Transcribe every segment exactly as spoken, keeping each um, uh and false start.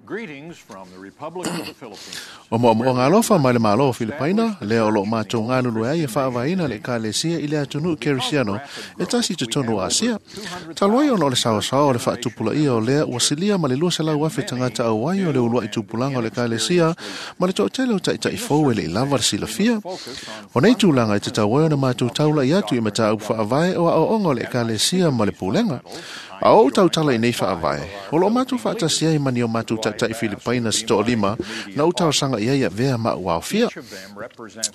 Greetings from the Republic of the Philippines. O mo'omo'oga alofa mai le Mālō o Filipaina, lea o lo'o matou galulue ai e fa'avaina le Ekalesia i le atunu'u Kerisiano e tasi i totonu o Asia. Talu ai ona o le saoasaoa o le fa'atupulaia o lea ua silia ma le lua selau afe tagata auai o le ulua'i tupulaga o le Ekalesia ma le to'atele o ta'ita'i fou e le'i lava le silafia. O nei tulaga e tatau ai ona matou taula'i atu i mataupu fa'avae o a'oa'oga o le Ekalesia ma le pulega. A o ou tautala i nei fa'avae, o lo'o matou fa'atasi ai ma ni o matou ta'ita'i Filipaina se to'alima na ou talosaga i ai avea ma a'u aofia.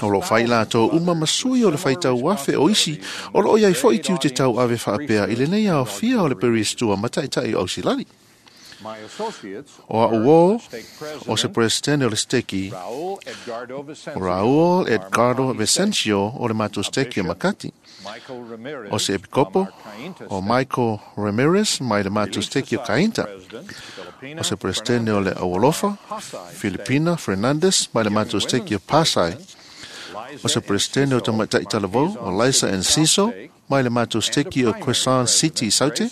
O lo'o fai latou uma ma sui o le faitau afe o isi o lo'o iai fo'i tiute tau'ave fa'apea i lenei aofia o le peristua ma ta'ita'i o Ausilali. O a'u uō, o se Peresetene o le Seteki, o Raul Edgardo Vicencio o le matou Seteki o Makati. O se Epikopo, o Michael Ramirez mai le matou Seteki o Cainta. O se Peresetene o le Aualofa, Filipina Fernandez mai le matou Seteki o Pasay. O se Peresetene o Tamaitai Talavou, o Liza Enciso mai le matou Seteki o Quezon City Saute,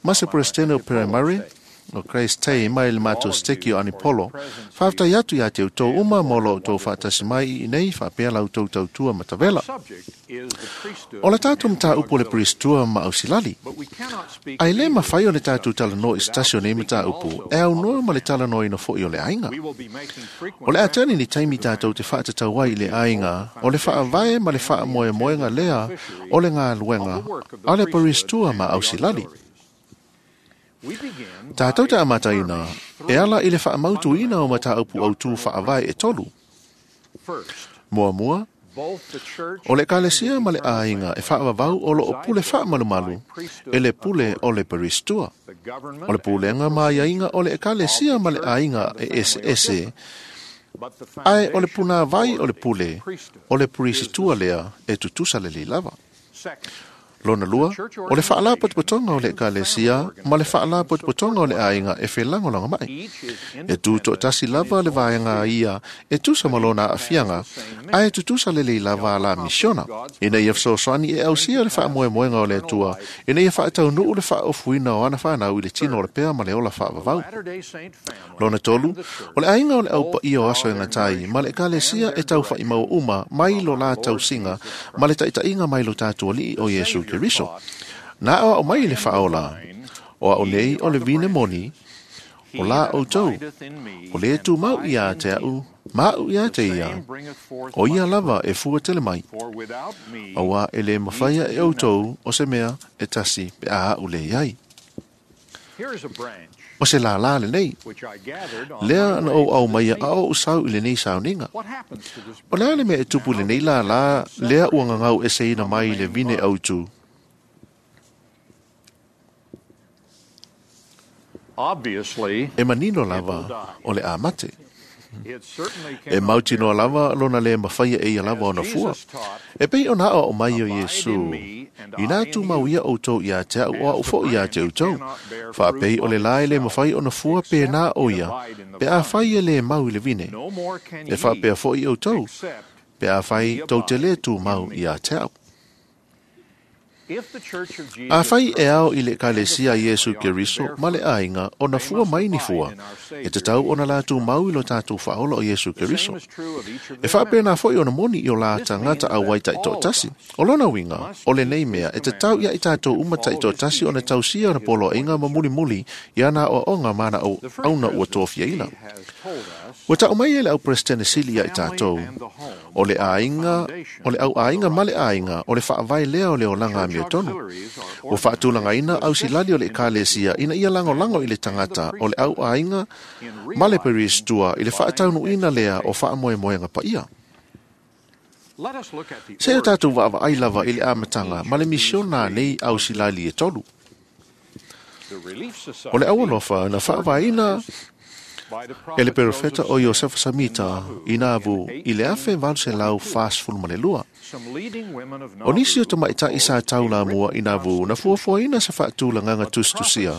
ma se Peresetene o Perimari, o Grace Tay mai le matou Seteki o Anipolo. Fa'afetai atu iā te outou uma mo lo outou fa'atasi mai i inei fa'apea la outou tautua matavela. O le tatou mataupu o le peristua ma ausilali. Ae lē mafai o le tatou talanoa i se tasi o nei mataupu e aunoa ma le talanoaina fo'i o le aiga. O le a tali ni taimi tatou te fa'atatau ai i le aiga o le fa'avae ma le fa'amoemoega lea o le galuega a le peristua ma ausilali. Tatou te amataina e ala i le fa'amautuina o mataupu autū fa'avae e tolu. Muamua, o le Ekalesia ma le aiga e fa'avavau o lo'o pule fa'amalumalu e le pule o le peristua. O le pulega ma aiaiga o le Ekalesia ma le aiga e eseese, ae o le punāvai o le pule o le perisitua lea e tutusa lelei lava. Lona lua, o le fa'alapotopotoga o le Ekalesia ma le fa'alapotopotoga o le aiga e felagolagomai. E tū to'atasi lava le vaega ia e tusa ma lona a'afiaga, ae tutusa lelei lava a la misiona, ina ia fesoasoani e ausia le fa'amoemoega o le Atua, ina ia fa'ataunu'u le fa'aofuina o ana fanau i le tino o le pea ma le ola fa'avavau. Lona tolu, o le aiga o le Au Paia o Aso e Gata ai ma le Ekalesia e taufa'imaua uma mai lo la tausiga ma le ta'ita'iga mai lo tatou Ali'i o Iesu Keriso. Na a'oa'o mai le Fa'aola, o a'u nei o le vine moni, o la outou, o lē tumau iā te a'u, ma a'u iā te ia, o ia lava e fua tele mai. Auā e lē mafaia e outou o se mea e tasi pe a a'u lē iai. O se lālā lenei, lea na ou aumaia a o ou sau i lenei sauniga. O le a le mea e tupu i lenei lālā lea ua gagau eseina mai i le vine autū? E manino lava o le a mate. E mautinoa lava lona lē mafaia e ia lava ona fua. E pei ona a'oa'o mai o Iesū, Inā tumau ia ʻoutou iā te a'u o a'u fo'i iā te ʻoutou. Fa'apei o le la e lē mafai ona fua pēnā ʻo ia, pe afai e lē mau i le vine. E fa'apea fo'i ʻoutou, pe afai tou te lē tumau iā te a'u. Afai e ao i le Ekalesia a Iesu Keriso ma le aiga ona fua mai ni fua, e tatau ona latou mau i lo tatou Faaola o Iesu Keriso. E faapena foi ona moni i o la tagata auai taitoatasi. O lona uiga, o lenei mea e tatau ia i tatou uma taitoatasi ona tausia ona poloaiga ma mulimuli i ana aoaoga ma ana auauna ua tofiaina. Ua ta'u mai e le Au Peresetene Sili ia i tatou, o le aiga, o le au aiga ma le aiga, o le fa'avae lea o le olaga amiotonu. Ua fa'atulagaina ausilali o le Ekalesia ina ia lagolago i le tagata o le au aiga ma le peristua i le fa'ataunu'uina lea o fa'amoemoega paia. Se i o tatou vaavaai lava i le amataga ma le misiona a nei ausilali e tolu. O le Aualofa na fa'avaeina e le perofeta o Iosefa Samita i Nauvoo i le afe valu selau fasefulu ma le lua. O nisi o tamaitaʻi sa taulamua i Nauvoo na fuafuaina se faatulagaga tusitusia,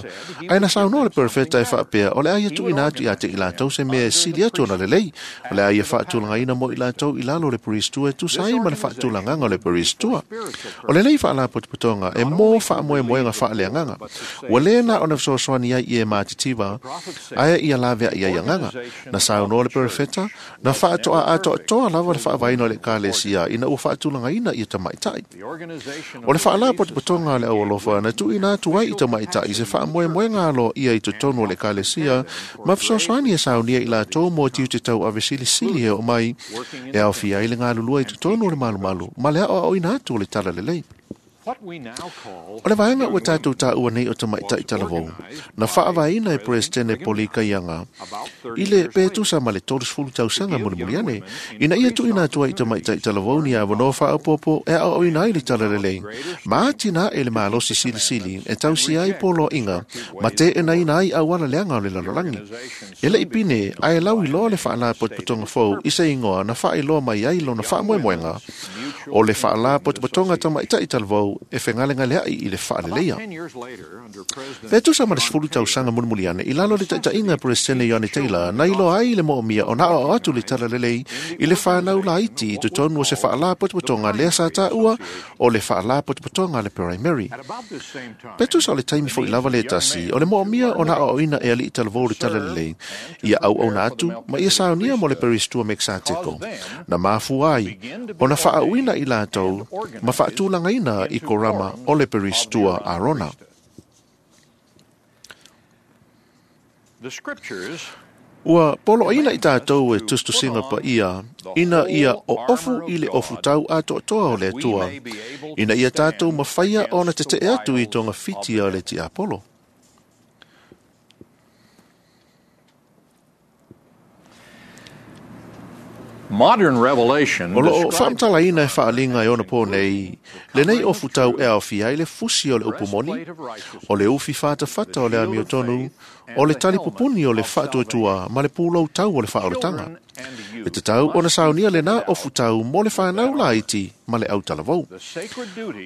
ae na saunoa le perofeta e faapea o le a ia tuuina atu ia te i latou se mea e sili atu ona lelei, o le a ia faatulagaina mo i latou i lalo o le peristua e tusa ai ma le faatulagaga o le peristua. O lenei faalapotopotoga e mo faamoemoega faaleagaga, ua lē na ona fesoasoani ai i e matitiva, ae ia laveaʻi i ai agaga. Na saunoa le perefeta, na faatoa atoatoa lava le faavaeina o le ekalesia ina ua faatulagaina ia tamaitai. O le faalapotopotoga a le aualofa na tuuina atu ai i tamaitai se faamoemoega aloaia i totonu o le ekalesia ma fesoasoani e saunia i latou mo tiute tauavesilisili e oo mai e aofia ai le galulue i totonu o le malumalu ma le aoaoina atu o le talalelei. O le vaega ua tatou taua nei o tamaitai talavou, na faavaeina e Peresetene Polikaiaga i le pe tusa ma le tolusefulu tausaga mulimuli ane, ina ia tuuina atu ai i tamaitai talavou ni avanoa faaopoopo e aoaoina ai le talalelei, ma atinae le malosi silisili e tausia ai poloaiga ma teenaina ai auala leaga o le lalolagi. E le i pine ae lauiloa le faalapotopotoga fou i se igoa na faailoa mai ai lona faamoemoega o le faalapotopotoga tamaitai talavou e fegalegaleai i le faaleleia. Pe tusa ma le sefulu tausaga mulimuli ane i lalo o le taitaiga a Peresetene Ioane Taylor na iloa ai le moomia ona aoao atu le talalelei i le whanau laiti i totonu o se faalapotopotoga lea sa taua o le faalapotopotoga a le Primary. Pe tusa o le taimi foi lava le tasi o le moomia ona aoaoina e alii talavou le talalelei ia auauna atu ma ia saunia mo le Peristua Mexateko na mafua ai ona faauina i latou ma faatulagaina i korama o le Peristua Arona. Ua poloaina i tatou e tusitusiga paia ina ia oofu i le ofutau atoatoa o le Atua, ina ia tatou mafaia ona tetee atu i togafiti a le tiapolo. Modern revelation O loo faamatalaina e faaliga e ona po nei, lenei ofutau e aofia ai le fusi o le upu moni, o le ufi fatafata o le amiotonu, o le talipupuni o le faatuatua ma le pulou tau o le faaolataga. E tatau ona saunia lena ofutau mo le whanau laiti ma le autalavou.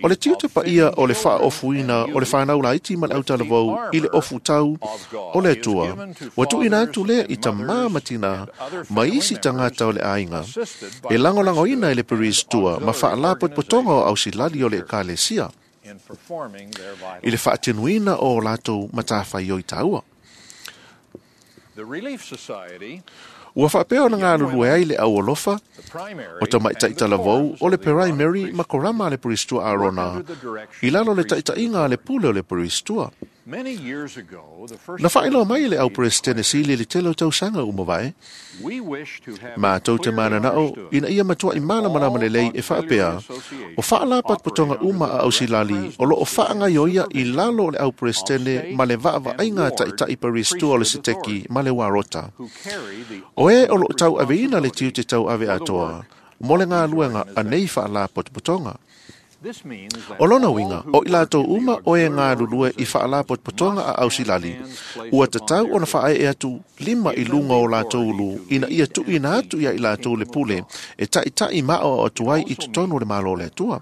O le tiute paia o le faaofuina o le whanau laiti ma le autalavou i le ofutau o le Atua, ua tuuina atu lea i tamā ma tinā ma isi tagata o le aiga, e lagoalagoina e le Peristua ma faalapotopotoga o ausilali o le ekalesia, i le faatinuina o latou matafaioi taua. Ua faapea ona galulue ai le aualofa o tamaitai talavou o le Primary ma korama a le Peristua Arona i lalo le taitaiga a le pule o le Peristua. Na faailoa mai e le au Peresetene Sili le tele o tausaga ua mavae, matou te mananao ina ia matuai malamalama lelei e faapea o faalapotopotoga uma a ausilali o loo faagaioia i lalo o le au Peresetene ma le vaavaaiga a taitai Peristua o le Seteki ma le Warota. O e o loo tauaveina le tiute tauave atoa mo le galuega a nei faalapotopotoga. O lona uiga, o i latou uma o e galulue i faalapotopotoga a ausilali, ua tatau ona faaee atu lima i luga o latou ulu ina ia tuuina atu ia i latou le pule e taitai ma aoao atu ai i totonu o le Malo o le Atua.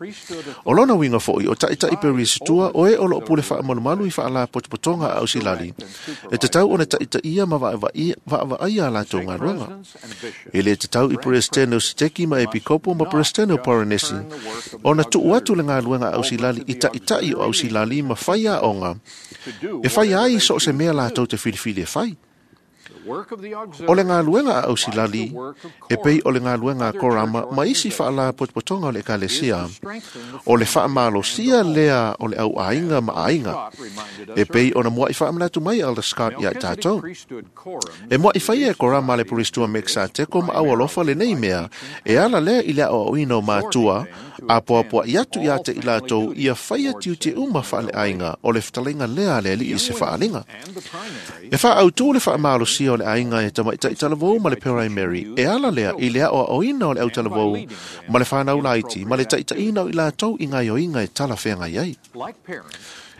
O lona uiga foi o taitai Peristua o e o loo pule faamalumalu i faalapotopotoga a ausilali, e tatau ona taitaia ma vaavaaia a latou galuega. E le tatau i Peresetene o Seteki ma Epikopo ma Peresetene o Paranesi ona tuu atu le galuega a ausilali i taitai o ausilali ma fai aoga e fai ai so o se mea latou te filifili e fai. O le galuega a ausilali e pei o le galuega a korama ma isi faalapotopotoga o le ekalesia, o le faamalosia lea o le auaiga ma aiga, e pei ona muai faamanatu mai Elder Scott ia i tatou. E muai faia e korama le Peristua Mexateko ma aualofa lenei mea, e ala lea i le aoaoina o matua, a poapoa'i atu ia te i latou ia faia tiute uma faaleaiga o le fetalaiga lea a le alii i se faaliga. E faaautu le faamalosia o le aiga e tamaitai talavou ma le Primary, e ala lea i le aoaoina o le autalavou ma le whanau laiti ma le taitaiina o i latou i gaioiga e talafeagai ai.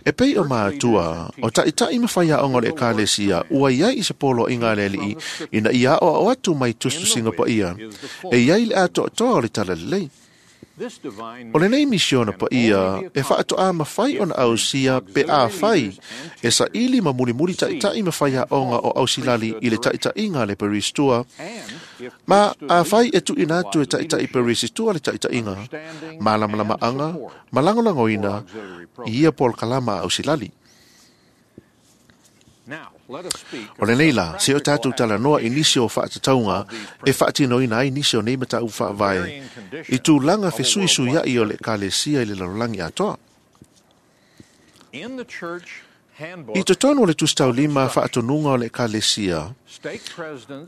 E pei o mātua, o taitai ma whai aonga o le ekalesia, ua iai i se poloaiga a le alii ina ia aoao atu mai tusitusiga paia, e iai le atoatoa o le talalelei. O lenei misiona paia e faatoa mafai ona ausia pe afai e saili ma mulimuli taitai ma fai aoga o ausilali i le taitaiga a le Peristua, ma afai e tuuina atu e taitai Peristua le taitaiga, malamalamaaga ma lagolagoina i ia polokalama a ausilali. O lenei la, se o tātou talanoa i nisi o whaatatauga e whaatinoina ai nisi o nei mataupu faavae i tulaga fesuisuiai o le ekalesia i le lalolagi atoa. I totonu o le tusitaulima faatonuga o le ekalesia,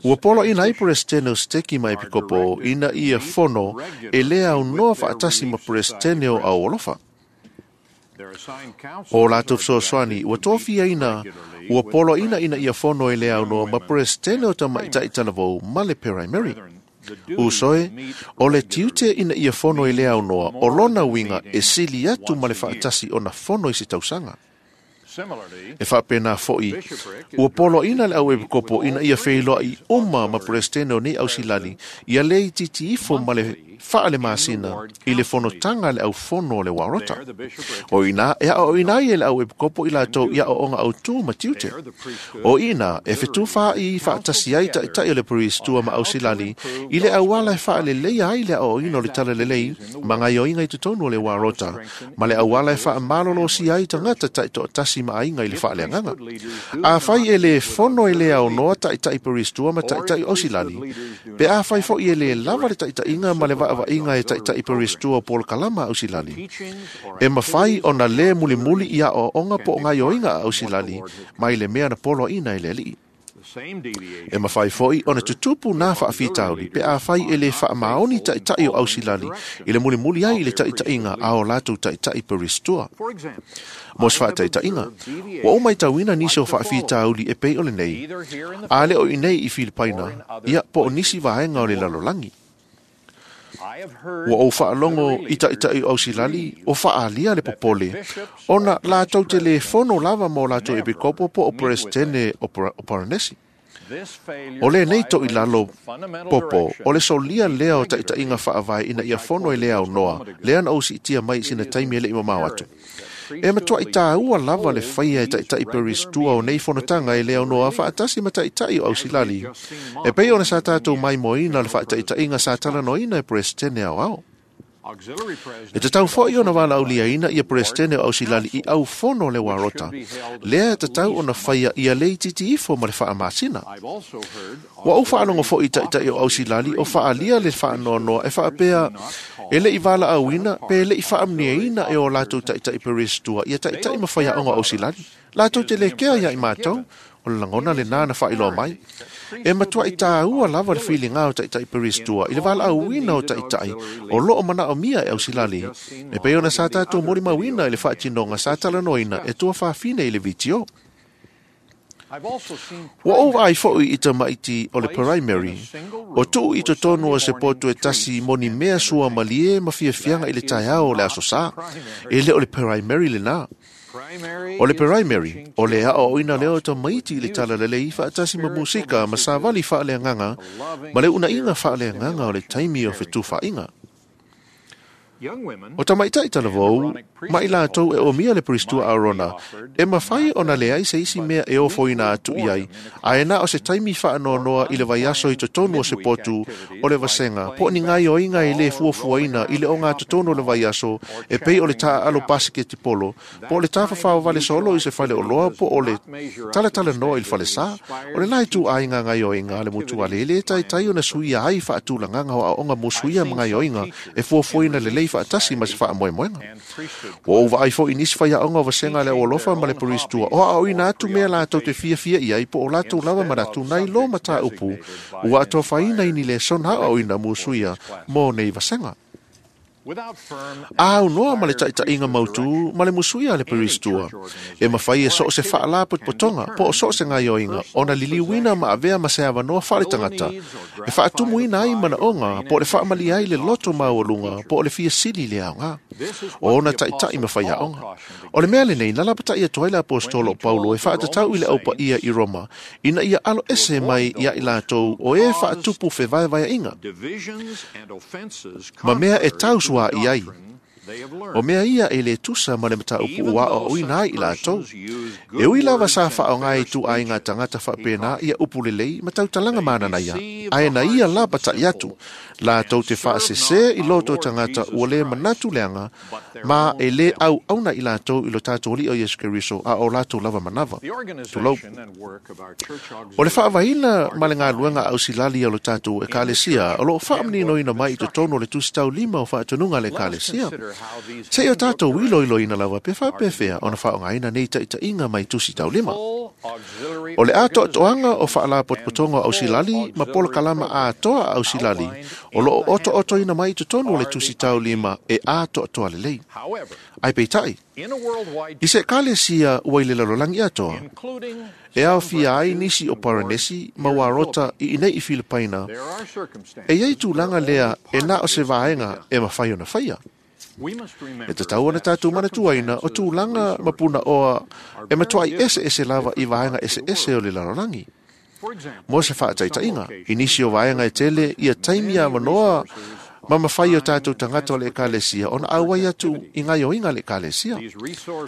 ua poloaina ai Peresetene o Seteki ma Epikopo ina ia fono e le aunoa faatasi ma Peresetene o Aualofa. O latou fesoasoani ua tofiaina ua poloaina ina ia fono e le aunoa ma Peresetene o Tamaitai Talavou ma le Primary. Usoe, o le tiute ina ia fono e le aunoa o lona uiga e sili atu ma le faatasi ona fono i se tausaga. E faapena fo'i, ua poloaina le au epikopo ina ia feiloai uma ma Peresetene o nei ausilali ia le itiiti ifo ma le faalemasina i le fonotaga a le aufono o le Warota. O ina e aoaoina ai e le au epikopo i latou i aoaoga autū ma tiute. O ina e fetufaai faatasi ai taitai o le peristua ma ausilali i le auala e faaleleia ai le aoaoina o le talalelei ma gaioiga i totonu o le Warota, ma le auala e faamalolosia ai tagata taitoatasi ma aiga i le faaleagaga. Afai e le fono e le aunoa taitai peristua ma taitai ausilali, pe afai fo'i e le lava le taitaiga ma le vaavaiga e taitai peristua o polokalama ausilali, e mafai ona le mulimuli i aoaoga po o gaioiga a ausilali mai le mea na poloaina e le Alii. E mafai fo'i ona tutupu nā faafitauli pe afai e le faamaoni taitai o ausilali i le mulimuli ai i le taitaiga a o latou taitai peristua. Mo se faataitaiga, ua ou matauina nisi o faafitauli e pei o lenei, a le o i nei i Filipaina, ia po o nisi vaega o le lalolagi. Ua ou faalogo i taitai o ausilali o faaalia le popole, ona latou te le fono lava ma o latou epikopo po o Peresetene o Paranesi. O lenei toilalo popo, o le solia lea o taitaiga faavae ina ia fono e le aunoa, lea na ou siitia mai i sina taimi e le i mamao atu. E matuai tāua lava le faia e taitai peristua o nei fonotaga e le aunoa faatasi ma taitai o ausilali, e pei ona sa tātou maimoaina le faataitaiga sa talanoaina e Peresetene aoao. E tatau fo'i ona valaauliaina ia Peresetene o ausilali i aufono o le Warota, lea e tatau ona faia ia le itiiti ifo ma le faamasina. Ua ou faalogo fo'i i taitai o ausilali o faaalia le faanoanoa e faapea e le i valaauina pe le i faamanuiaina e o latou taitai peristua ia taitai ma faiaoga o ausilali. Latou te le kea ia i matou, o le lagona lenā na faailoa mai. E matuai tāua lava le filiga o taitai peristua i le valaauina o taitai o loo manaomia e ausilali, e pei ona sa tatou molimauina i le faatinoga sa talanoaina e tuafafine i le vitio. Ua ou vaai fo'i i tamaiti o le primary, o tuu i totonu o se poto e tasi mo ni mea sua malie ma fiafiaga i le taeao o le aso Sā. E le o le primary lenā. O le primary, o le aoaoina lea o tamaiti i le talalelei faatasi ma musika ma savali faaleagaga ma le unaiga faaleagaga o le taimi o fetufaaiga. O tamaitai talavou, ma i latou e omia le peristua Arona, e mafai ona leai se isi mea e ofoina atu i ai, ae na o se taimi faanoanoa i le vaiaso i totonu o se potu o le vasega, po o ni gaioiga e le fuafuaina i le ogatotonu o le vaiaso, e pei o le taaalo pasiketipolo, po o le tafafao vale solo i se fale oloa, po o le talatalanoa i le falesā. O le la ituaiga gaioiga a le motuale e le taitai ona suia ai faatulagaga o aoaoga mo suia ma gaioiga e fuafuaina lelei faatasi ma se faamoemoega. Ua ou vaai fo'i nisi faiaoga o vasega a le aualofa ma le peristua o aoaoina atu mea latou te fiafia i ai po o latou lava manatu nai lo mataupu ua atofaina i ni lesona aoaoina musuia mo nei vasega. A aunoa ma le taitaiga mautū ma le musuia a le peristua, e mafai e so o se faalapotopotoga po o so o se gaioiga ona liliuina ma avea ma se avanoa faaletagata e faatumuina ai manaoga po o le faamalia ai le loto maualuga po o le fiasili le aoga o ona taitai ma faiaoga. O le mea lenei na lapatai atu ai le aposetolo o Paulo e faatatau i le aupaia i Roma ina ia alo ese mai ia i latou o e faatupu fevaevaeaiga ma mea e tausua i ai, O mea ia e le tusa ma le mataupu ua aoaoina ai i latou. E ui lava sa faaaoga e ituaiga tagata faapena ia upu lelei ma tautalaga mananaia, ae na ia lapata'i atu latou te faasese i loto o tagata ua le manatu leaga ma e lē auauna i latou i lo tatou Alii o Iesu Keriso a o latou lava manava. Tulou. O le faavaeina ma le galuega ausilali o lo tatou Ekalesia o loo faamaninoina mai i totonu o le tusi taulima o faatonuga a le Ekalesia. Seia o tatou iloiloina lava pe faapefea ona faaaogaina nei taitaiga mai tusi taulima. O le atoatoaga o faalapotopotoga o ausilali ma polokalama atoa a ausilali o loo otootoina mai i totonu o le tusi taulima e atoatoa lelei. Ai peitai, i se ekalesia ua i le lalolagi atoa, e aofia ai nisi o Paranesi ma Uarota i inei i Filipaina, e iai tulaga lea e na o se vaega e mafai ona faia. E tatau ona tatou manatuaina o tulaga ma punaoa e matuai eseese lava i vaega eseese o le lalolagi. Mo se faataitaiga, i nisi o vaega e tele ia taimi avanoa ma mafai o tatou tagata o le ekalesia ona auai atu i gaioiga a le ekalesia.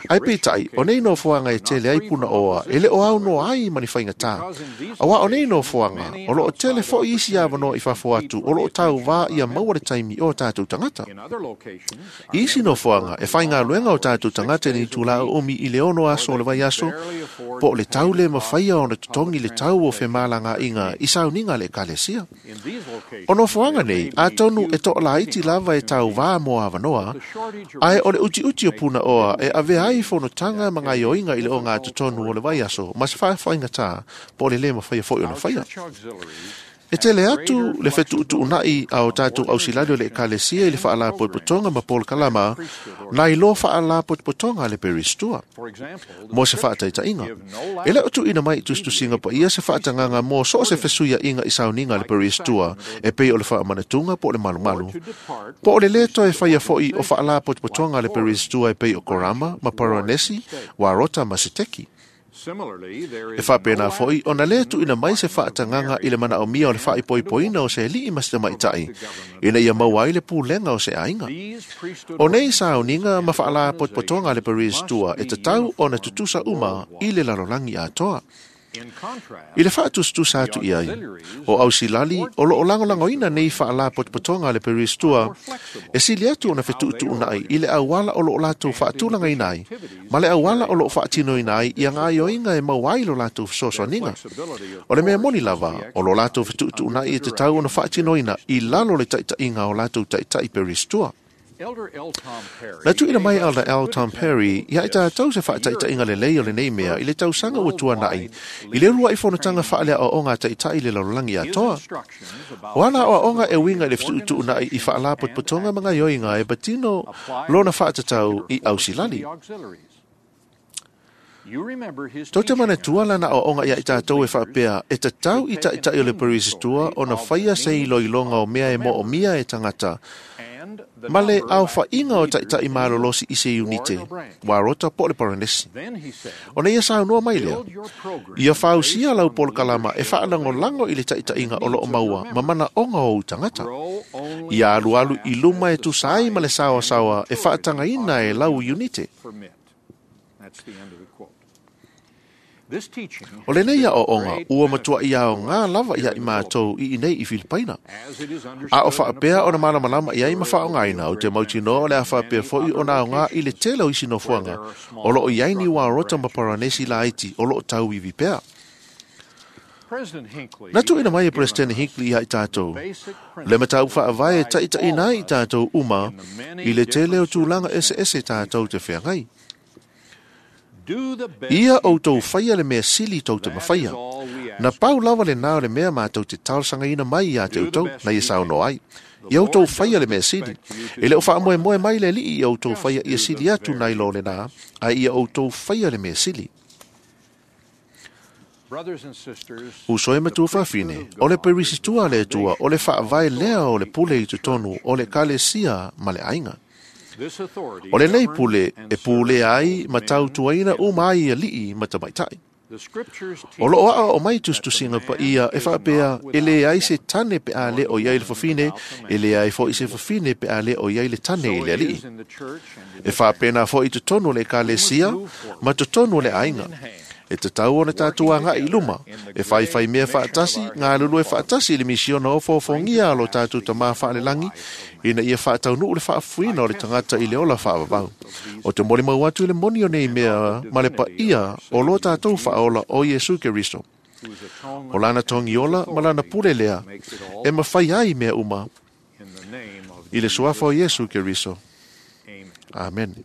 Ae peitai, o nei nofoaga e tele ai punaoa e le o aunoa ai ma ni faigata. Auā o nei nofoaga, o loo tele fo'i isi avanoa i fafo atu o loo tauvā ia maua le taimi o tatou tagata. I isi nofoaga, e faigaluega o tatou tagata i le itulā uumi i le ono aso o le vaiaso, po o le tau le mafaia ona totogi le tau o femalagaaiga i sauniga a le ekalesia. O nofoaga nei, atonu e toalaiti lava e tauvā mo avanoa, ae o le utiuti o punaoa e avea ai fonotaga ma gaioiga i le ogatotonu o le vaiaso ma se faafaigatā po o le lē mafaia fo'i ona faia. E tele atu le fetuutuunai a o tatou ausilali o le ekalesia i le faalapotopotoga ma polokalama nai lo faalapotopotoga a le peristua. Mo se faataitaiga, e le o tuuina mai i tusitusiga paia se faatagaga mo so o se fesuiaiga i sauniga a le peristua e pei o le faamanatuga po o le malumalu, po o le lē toe faia fo'i o faalapotopotoga a le peristua e pei o Korama ma Paranesi, Uarota ma Seteki. E faapena fo'i ona lē tuuina mai se faatagaga i le manaomia o le faaipoipoina o se alii ma se tamaitai ina ia maua ai le pulega o se aiga. O nei sauniga ma faalapotopotoga a le peristua e tatau ona tutusa uma i le lalolagi atoa. I le faatusatusa atu i ai, o ausilali o loo lagolagoina nei faalapotopotoga a le peristua e sili atu ona fetuutuunai i le auala o loo latou faatulagaina ai ma le auala o loo faatinoina ai ia gaioiga e maua ai lo latou fesoasoaniga. O le mea moni lava, o lo latou fetuutuunai e tatau ona faatinoina i lalo le taitaiga o latou taitai peristua. Na tuuina mai Elder L. Tom Perry ia i tatou se faataitaiga lelei o lenei mea i le tausaga ua tuana'i i le uluai fonotaga faaleaoaoga a taitai i le lalolagi atoa. O ana aoaoga e uiga i le fetuutuunai i faalapotopotoga ma gaioiga e patino lona faatatau i ausilali. Tou te manatua lana aoaoga ia i tatou e faapea e tatau i taitai o le peristua ona faia se iloiloga o mea e moomia e tagata ma le aofaiga o taitai malolosi i se iunite, Uarota po o le Paranesi. Ona ia saunoa mai lea, ia fausia lau polokalama e faalagolago i le taitaiga o loo maua ma manaoga o ou tagata. Ia alualu i luma e tusa ai ma le saoasaoa e faatagaina e lau iunite. O lenei aoaoga ua matuai aogā lava ia i matou i inei i Filipaina. A o faapea ona malamalama i ai ma faaaogaina, ou te mautinoa o le a faapea fo'i ona aogā i le tele o isi nofoaga o loo i ai ni Uarota ma Paranesi laiti o loo tauivi pea. Na tuuina mai e Peresetene Hinckley ia i tatou le mataupu faavae e taitaiina ai i tatou uma i le tele o tulaga eseese tatou te feagai. Ia outou faia le mea sili tou te mafaia. Na pau lava lenā o le mea matou te talosagaina mai ia te outou, na ia saunoa ai. Ia outou faia le mea sili. E le o faamoemoe mai le Alii ia outou faia ia sili atu nai lo lenā, ae ia outou faia le mea sili. Uso e matua fafine, o le perisitua a le Atua, o le faavae lea o le pule i totonu o le ekalesia ma le aiga. O lenei pule e pulea ai ma tautuaina uma ai alii ma tamaitai. O loo aa o mai tusitusiga paia e faapea e leai se tane pe a le o iai le fafine, e leai foʻi se fafine pe a le o iai le tane i le alii. E faapena foʻi totonu o le ekalesia ma totonu o le aiga. E tatau ona tatou agaʻi i luma, e faifai mea faatasi, galulue faatasi i le misiona ofoofogia a lo tatou Tamā faalelagi, ina ia faataunuu le faafuina o le tagata i le ola faavavau. O te molimau atu i le moni o nei mea ma le paia o lo tatou faaola o Iesu Keriso. O lana togiola ma lana pule lea, e mafai ai mea uma. I le suafa o Iesu Keriso. Amen.